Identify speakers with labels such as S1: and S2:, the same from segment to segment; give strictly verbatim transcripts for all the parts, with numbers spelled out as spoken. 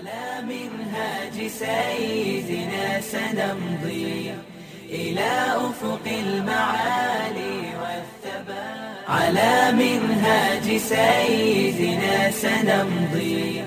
S1: على منهاج سيدنا سنمضي إلى أفق المعالي والثبات. على منهاج سيدنا سنمضي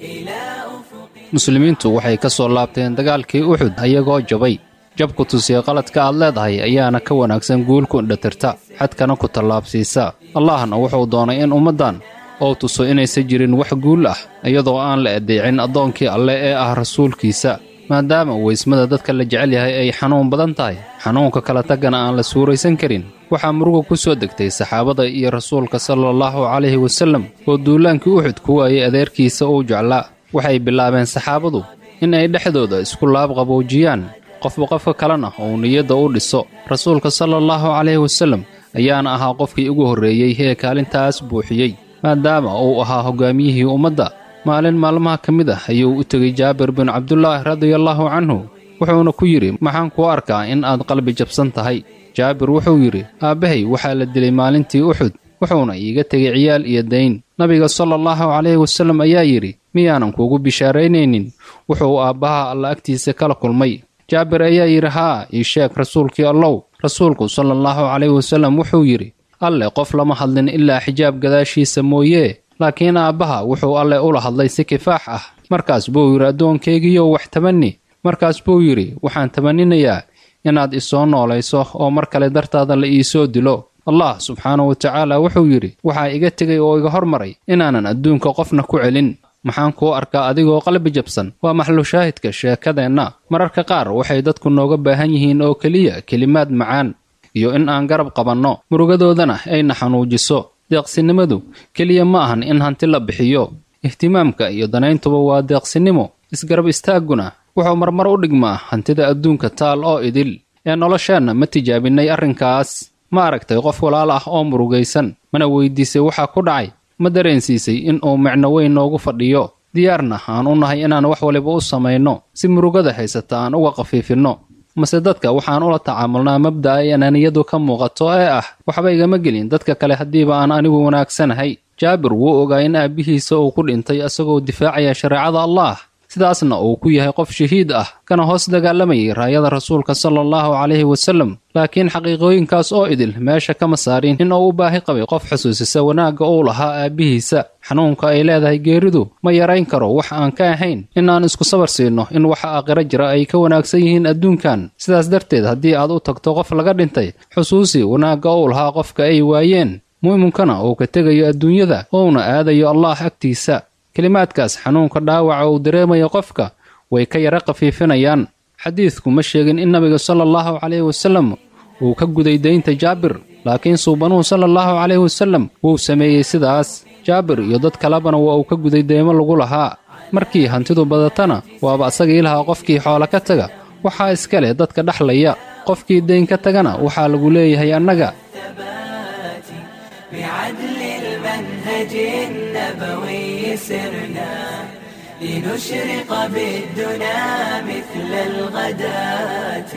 S1: إلى أفق.
S2: Muslimiintu waxay ka soo laabteen dagaalkii Uxud ayagoo jabay. Jabku tusiya qaladka aad leedahay ayaana ka wanaagsan guulku indhatirta, xadkana ku tallaabsiisa. Allahna wuxuu doonay in ummaddan oo tuso inaysan jirin wax guul ah iyadoo aan la adeecin addoonkii Alle ee ah rasuulkiisa. Maadaama weysmada dadka la jecel yahay ay xanuun badan tahay, xanuunka kala tagana aan la suuraysan karin, waxaa muruga ku soo degtay saxaabada iyo rasuulka sallallahu calayhi wasallam oo duulaankii Uxud ku waayay adeerkiisa uu jeclaa. Waxay bilaabeen saxaabadu in ay dhexdooda isku laab qaboojiyaan, qofba qofka kalena uu niyadda u dhiso. Rasuulka sallallahu calayhi wasallam ayaana ahaa qofkii ugu horreeyey ee kaalintaas buuxiyey, maadaama uu ahaa hoggaamiyihii ummadda. Maalin maalmaha ka mid ah ayuu u tegey Jaabir bin Cabdulaahi radiallahu canhu, wuxuuna ku yidhi: maxaan kuu arkaa in aad qalbi jabsan tahay? Jaabir wuxuu yidhi: aabbahay waxaa la dilay maalintii Uxud, wuxuuna iiga tegey ciyaal iyo dayn. Nabiga sallallahu calayhi wasallam ayaa yidhi: miyaanan kuugu bishaaraynaynin wuxuu aabbaha Alla agtiisa kala kulmay? Jaabir ayaa yidhi: haa, ii sheeg rasuulkii Allow. Rasuulku sallallahu calayhi wasallam wuxuu yidhi: Alle qof lama hadlin ilaa xijaab gadaashiisa mooyee, laakiin aabbaha wuxuu Alle ula hadlay si kifaax ah. Markaas buu yidhi: addoonkaygiiyow wax tamanni. Markaas buu yidhi: waxaan tamaninayaa inaad isoo noolayso oo mar kale dartaada la iisoo dilo. Allah subxaanahu wa tacaala wuxuu yidhi: waxaa iga tegay oo iga hormaray inaanan adduunka qofna ku celin. Maxaan kuu arkaa adigoo qalbi jabsan? Waa maxlu shaahidka sheekadeenna. Mararka qaar waxay dadku nooga baahan yihiin oo keliya kelimaad macaan iyo in aan garab qabanno, murugadoodana ayna xanuujiso. Deeqsinimadu keliya ma ahan in hanti la bixiyo, ihtimaamka iyo danayntuba waa deeqsinimo. Isgarab istaagguna wuxuu marmar u dhigmaa hantida adduunka taal oo idil. Ee nolosheenna ma tijaabinay arrinkaas? Ma aragtay qof walaal ah oo murugaysan? Mana weydiisay waxaa ku dhacay? Ma dareensiisay in uu micno weyn noogu fadhiyo? Diyaarna aan u nahay inaan wax waliba u samayno si murugada haysata aan uga khafiifinno? Mase dadka waxaan ula tacaamulnaa mabda'a ay anaaniyadu ka muuqato ee ah waxba igama gelin dadka kale haddiiba aan anigu wanaagsanahay? Jaabir wuu ogaa in aabbihiisa uu ku dhintay isagoo difaacaya shareecada Allah, sidaasna uu ku yahay qof shahiid ah kana hoos dagaalamayay raayada rasuulka sallallahu calayhi wasallam. Laakiin xaqiiqooyinkaas oo idil meesha kama saarin in uu u baahi qabay qof xusuusisa wanaagga uu lahaa aabbihiisa. Xanuunka ay leedahay geeridu ma yarayn karo wax aan ka ahayn in aan isku sabar siino in waxa aakhiro jira ay ka wanaagsan yihiin adduunkan. Sidaas darteed haddii aad u tagto qof laga dhintay, xusuusi wanaagga uu lahaa qofka ay waayeen, mu'minkana uu ka tegayo adduunyada uuna aadayo Allah agtiisa. Kelimaadkaas xanuunka dhaawaca uu dareemayo qofka way ka yara khafiifinayaan. Xadiidku ma sheegin in nabiga sallallahu calayhi wasallam uu ka guday daynta Jaabir, laakiin suubanuhu sallallahu calayhi wasallam wuu sameeyey sidaas. Jaabir iyo dad kalebana waa uu ka guday deymo lagu lahaa. Markii hantidu badatana waaba asagii lahaa qofkii xoola ka taga waxaa iska leh dadka dhexlaya, qofkii dayn ka tagana waxaa lagu leeyahay annaga.
S1: بعدل المنهج النبوي سرنا لنشرق بالدنا مثل الغداة.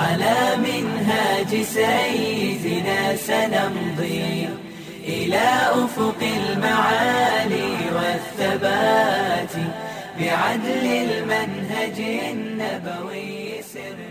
S1: على منهاج سيدنا سنمضي إلى أفق المعالي والثبات. بعدل المنهج النبوي سرنا.